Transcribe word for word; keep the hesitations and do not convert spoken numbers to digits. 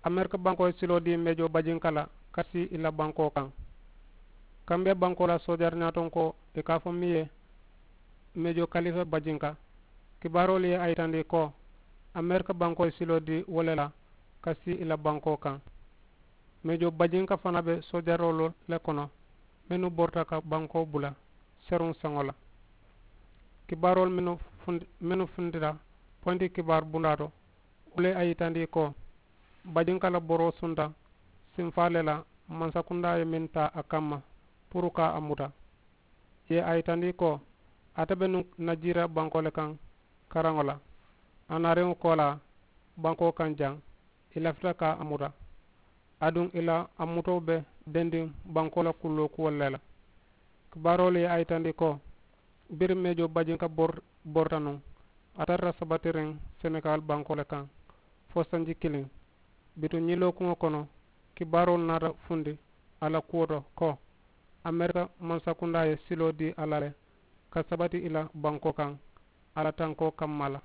Amerika bankoo ye siloo dii meejoo bajinka la ka sii i la bankoo kaŋ. Kambiya bankoo la soojari ñaatonkoo i ka a fo miŋ ye meejoo kalifa bajinka. Kibaaroolu ye a yitandi ko amerika bankoo ye siloo dii wo le la ka sii i la bankoo kaŋ. Meejoo bajinka fanaa be soojaroolu le kono mennu borita ka bankoo bula seruŋ saŋo la. Kibaaroolu mennu funtita poyinti kibaaru bundaa to wo le ye a yitandi ko bajinka la boroo sunta sinfaa le la mansakundaa ye meŋ taa a kamma puru ka a muta. Ì ye a yitandi ko ate be nuŋ najiira bankoo le kaŋ karaŋo la. A naariŋo koolaa bankoo kaŋ jaŋ ì lafita ka a muta. Aduŋ ì la a mutoo be dendiŋ bankoo la kulloo kuwolu le la. Kibaaroolu ye a yitandi ko biriŋ meejoo bajinka borita nuŋ a tarata sabatiriŋ senegaali bankoo le kaŋ fo sanji kiliŋ. Bituŋ ñiŋ lookuŋo kono kibaaroolu naata fundi a la kuwo to ko amerika mansakundaa ye siloo dii a la le ka sabati ì la bankoo kaŋ a la tankoo kamma la.